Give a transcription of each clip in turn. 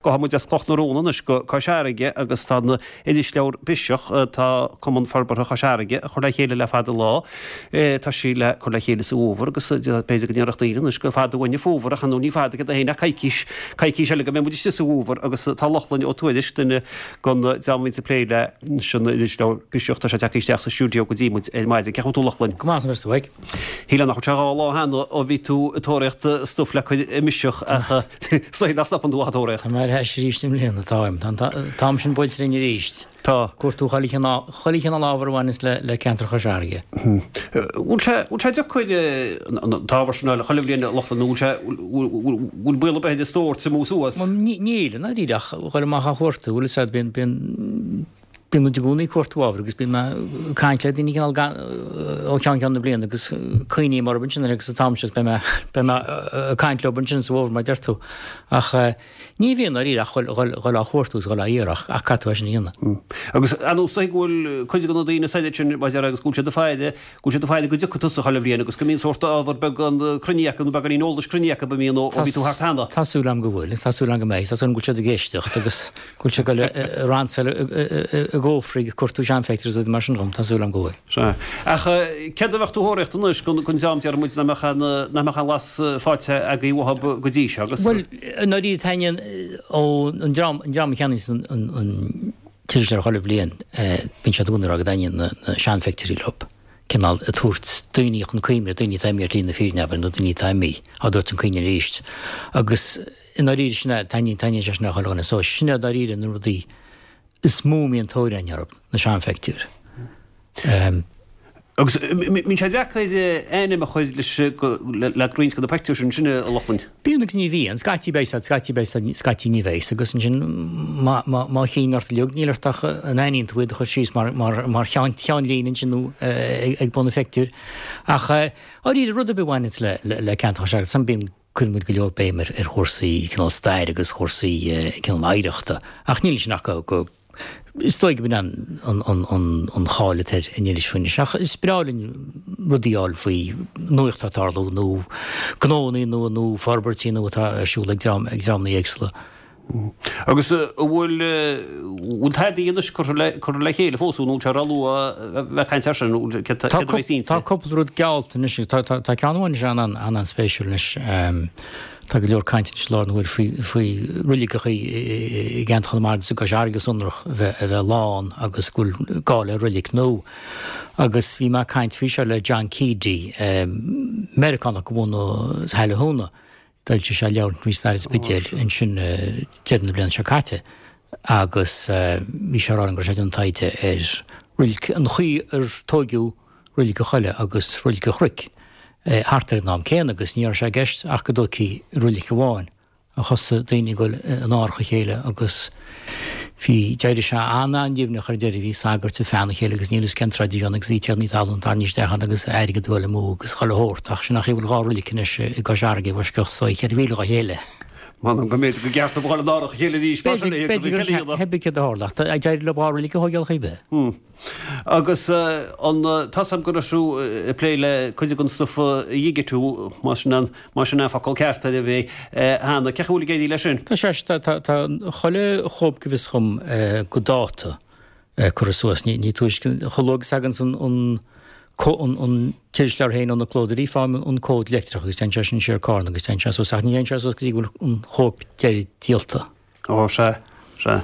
Gabhfaidh muid as Cloch na Rón anois go Cois Fharraige agus tá an irisleabhar Biseach atá Cumann Forbartha Chois Fharraige a chur le chéile le fada an lá. Tá sí le cur le chéile sa bhfómhar agus b'fhéidir go ndéarfadh daoine anois gur fada uainn an fómhar ach ar ndóigh ní fada céard é féin ach coicís, coicís eile go mbeidh muid istigh sa bhfómhar agus tá Lochlainn Ó Tuairisg, duine den dream a bhíonns ag plé leis an irisleabhar Biseach, tá sé tagtha isteach sa stiúideo go dtí muid ar maidin. Cén chaoi a bhfuil tú Lochlainn? Go maith, anois tú ag. Shílfeá nach bhfuil sé 2 lá cheana ó bhí tú ag tóraíocht stuif le cur i mBiseach ach is dóigh nach stopann tú ach ag tóraíocht. Tá mé ar ais arís i mbliana, táim. Tá an t-am sin buailte linn arís. Tá. Cuartú chuile chineál ábhar a bhaineas le ceantar Chois Fharraige. Bhfuil sé bhfuil sé deacair an t-ábhar sin a fháil chuile bhliain a Lochlainn nó bhfuil sé bhfuil baol ar bith ar an stór tiomú suas? Níl, i ndáiríre ach dhul amach á chuartú, bhfuil fhios a'd, bíonn bíonn Bíonn muid i gcónaí ag cuartú ábhair agus bíonn mé ag caint le daoine cineál ó cheann ceann na bliana agus cuimhním orthu ansin agus an t-am seo beidh mé beidh mé ag caint leo ansin sa bhfómhar mar a deir tú. Ach ní bhíonn dáiríre ach dhul á chuartú is dhul á iarraidh ach caithfidh tú é sin a dhéanamh. Agus ar ndóigh is dóigh go bhfuil cuid de na daoine said sin mar a déarfá agus go bhfuil siad ag faire go bhfuil siad ag faire go dtiocfaidh tusa chuile bhliain agus go mbíonn sórt ábhar beagán cruinnithe acu nó beagáinín eolais cruinnithe acu a mbíonn ó bhí tú thart cheana. Tá súil agam go bhfuil. Tá súil agam go mbeidh. Tá súil agam go bhfuil siad ag éisteacht agus go bhfuil siad ag dul ag ransail a gcófraí ag cuartú seanphictiúr is rudaí mar sin dhom. Tá súil agam go bhfuil. Sea. Ach céard a bheadh tú a thóraíocht anois don dream déarfaidh muid nach mbeadh aon nach mbeadh aon bhlas faighte agaibh uathu go dtí seo agus. Bhuel, i ndáiríre taitníonn ó an dream an dream a cheannaíos an an t-iriseoir chuile bhliain, bíonn siad i gcónaí ag rá go dtaitníonn na seanphictiúirí leo, cineál ag tabhairt daoine chun cuimhne, daoine atá imithe ar shlí na fírinne, abair, nó daoine atá imithe, á dtabhairt chun cuimhne arís. Agus i ndáiríre sin é, taitníonn, taitníonn sé sin le chuile dhuine. So sin é i ndáiríre na rudaí is mó a mbíonn tóir againn orthu, na seanphictiúir. Agus mbíonn sé deacair ainm a chur leis le roinnt de na pictiúir sin, sin a Lochlainn? Bíonn agus ní bhíonn. Scaití beidh siad, scaití beidh siad, scaití ní bheidh. Agus ansin má má chinn ort uilig, níl ort ach an aithníonn tú iad a chur síos mar mar mar cheann cheannlíne ansin nó ag bun an phictiúir. Ach dáiríre rud ar bith a bhaineanns le le ceantar Chois Fharraige, bíonn cuireann muid go leor béim ar ar chúrsaí cineál staire agus chúrsaí cineál oidhreachta. Ach níl ansin ach go go Is dóigh go b'in an cháil atá ar an iris faoi anois, ach is breá linn rudaí a fháil faoi nuacht atá ag tarlú nó gnóanna nua nó forbairtí nua atá ar siúl ag dream, ag dreamanna éagsúla. Agus an bhfuil, bhfuil tadaí anois curtha le, curtha le chéile fós nó an bhfuil sé róluath a bheith ag caint air sin, céard a bheas inti? Tá cúpla rud geallta anois, tá, tá, tá ceann amháin anois an-an-spéisiúil anois. Tá go leor cainte anois i láthair na huaire faoi faoi roiligeacha i gceantar Chonamara agus i gCois Fharraige go sonrach a bheith a bheith lán agus go bhfuil gá le roilig nua. Agus bhí mé ag caint faoi seo le John Keady, Meiriceánach de bhunadh Haill an Húna. D'fhoilsigh sé leabhar faoi stair an Spidéil ansin deireadh na bliana seo caite agus bhí sé ag rá liom go raibh sé ag déanamh taighde ar roilig, an chaoi ar tóigeadh Roilig an Choille agus Roilig an Chnoic thart ar an am céanna agus ní raibh sé i gceist ach go dtógfaí roilig amháin ach thosaigh daoine ag dul in árach a chéile agus bhí, d'éirigh sé an-an-nimhneach ar deireadh, bhí sagairt ag feannadh a chéile agus níl fhios cén troid a bhí ann agus bhí tiarnaí talún tarraingthe isteach ann agus airgead ag dul amú agus chuile shórt ach sin an chaoi a bhfuil 2 roilig anois i gCois Fharraige i bhfoisceacht is dóigh 4 mhíle dhá chéile. M'anam go mb'fhéidir go gceart dóibh a dhul in árach a chéile arís mar sin é, B'fhéidir gur theip céard a tharla ach d'éirigh leo 2 roilig a thógáil chaoi bith. Agus an, tá's a'm go raibh tú ag plé le cuid den stuif a dhigitiú, más sin an, más sin an focal ceart ar é, cheana. Cén chaoi a bhfuil ag éirí leis sin? Tá sé, tá, tá, tá chuile chóip go bhfios dhom go dáta curtha suas. Ní, ní túisce, chomh luath agus a thaganns an, an, an, an t-irisleabhar féin ó na clódóirí, faighim an comhad leictreach agus téann sé sin siar carn agus téann sé suas ach ní théann sé suas go dtí go bhfuil an chóip deiridh díolta. Ó, sea, sea.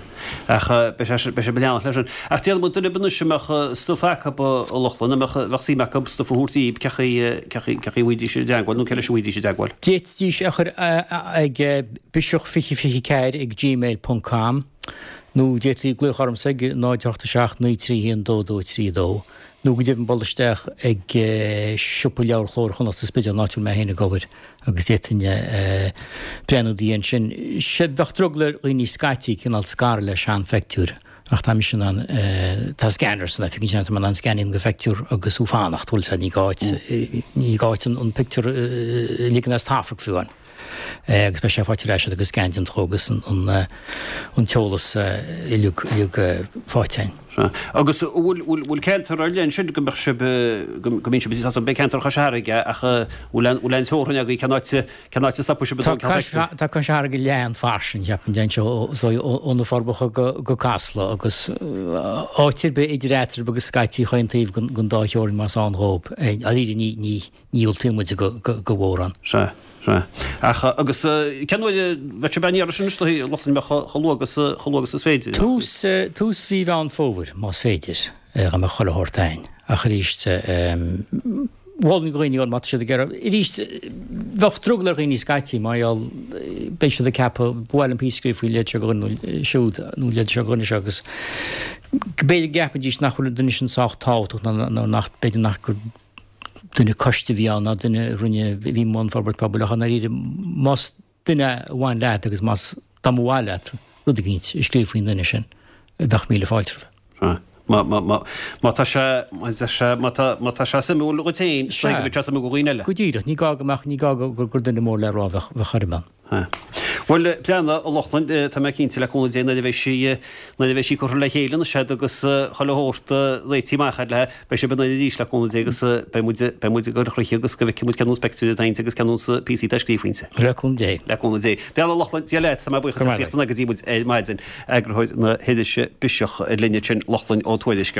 Ach beidh sé, beidh sé ag leanacht leis sin. Ach déarfaidh muid duine ar bith anois a mbeadh stuif acu, a Lochlainn, a mbeadh, bheadh suim acu stuif a thabhairt daoib, cén chaoi, cén chaoi, cén chaoi a bhfaighidís i dteagmháil nó cé leis a bhfaighidís i dteagmháil? D'fhéadfaidís a chur ag biseach2024 ag gmail ponc com nó d'fhéadfaí glaoch ormsa ag 0 8 7 9 3 1 2 2 3 2 nó go deimhin bualadh isteach ag siopa leabhar Chló Iar-Chonnacht sa Spidéal, an áit a bhfuil mé féin ag obair. agus d'fhéadfainn breathnú ina dhiaidh ansin. Sea, bheadh drogall ar dhaoine scaití cineál scaradh le seanphictiúir ach tá mise in ann, tá scanner san oifig ansin, tá mé in ann scan a dhéanamh de phictiúr agus thú fanacht, bhfuil sé, ní gá duit, ní gá duit an pictiúr a ligean as taifeach fiú amháin. Agus beidh sé faighte ar ais agat agus scan déanta dhó agus an t-eolas uilig, uilig faighte againn. Sea. Agus an bhfuil, bhfuil, bhfuil ceantar ar leith ansin go mbeadh sibh, go, go mbíonn sibh, tá beidh ceantar Chois Fharraige ach bhfuil aon, bhfuil aon teorainn agaibh cén áit, cén áit a stopfaidh sibh Tá Cois, tá Cois Fharraige lán fairsing, cheapfainn, deireann sé, ó, ó, ó na Forbacha go, go Casla agus áit ar bith idir eatarthu agus scaití chaon taobh den, den dá theorainn más ann dhóib. Dáiríre ní, ní, Ní dhiúltaíonn muid do mhórán. Sea, sea. Ach, agus cén uair a bheidh sibh á n-iarraidh sin istigh, a Lochlainn, mbeadh chomh luath agus, chomh luath agus is féidir? Tús, tús mhí Mheán Fómhair, más féidir, dá mbeadh chuile shórt a'inn. Ach arís, mholfainn do dhaoine, má tá siad ag iarraidh, arís, bheadh drogall ar dhaoine scaití mar gheall, beidh siad ag ceapadh, ba mhaith liom píosa a scríobh faoin leithéid seo de dhuine nó siúd, nó an leithéid seo de dhuine seo agus b'fhéidir go gceapfaidís nach bhfuil an duine sin sách tábhachtach nó nach, b'fhéidir nach gur duine coiste a bhí ann ná duine a rinne, a bhí i mbun forbairt pobail ach i ndáiríre más duine a bhain leat agus más, dá mba mhaith leat rud eicínt a scríobh faoin duine sin, bheadh míle fáilte roimhe. Sea. Má, má, má, má tá sé, má tá sé, má tá, má tá sé suimiúil dhuit féin, is dóigh go mbeidh sé suimiúil do dhaoine eile. Go díreach, ní gá go mbeadh, ní gá go, gur duine mór le rá a bheadh, bheadh ar an. Bhuel, Breandán, a Lochlainn, tá mé cinnte le cúnamh Dé nuair a bheidh sí, nuair a bheidh sí curtha le chéile anois agat agus chuile shórt réitithe amach agat léi, beidh sibh in ann arís le cúnamh Dé agus beidh muid, beidh muid ag cur chuici agus go bhfeicfidh muid cén nós pictiúir atá inti agus cén nós píosaí atá scríofa inti. Le cúnamh Dé. Le cúnamh Dé. Breandán Ó Lochlainn, Dia leat, tá mé buíoch as ucht a theacht go dtí muid ar maidin. Eagarthóir na hirise Biseach linn ansin, Lochlainn Ó Tuairisg.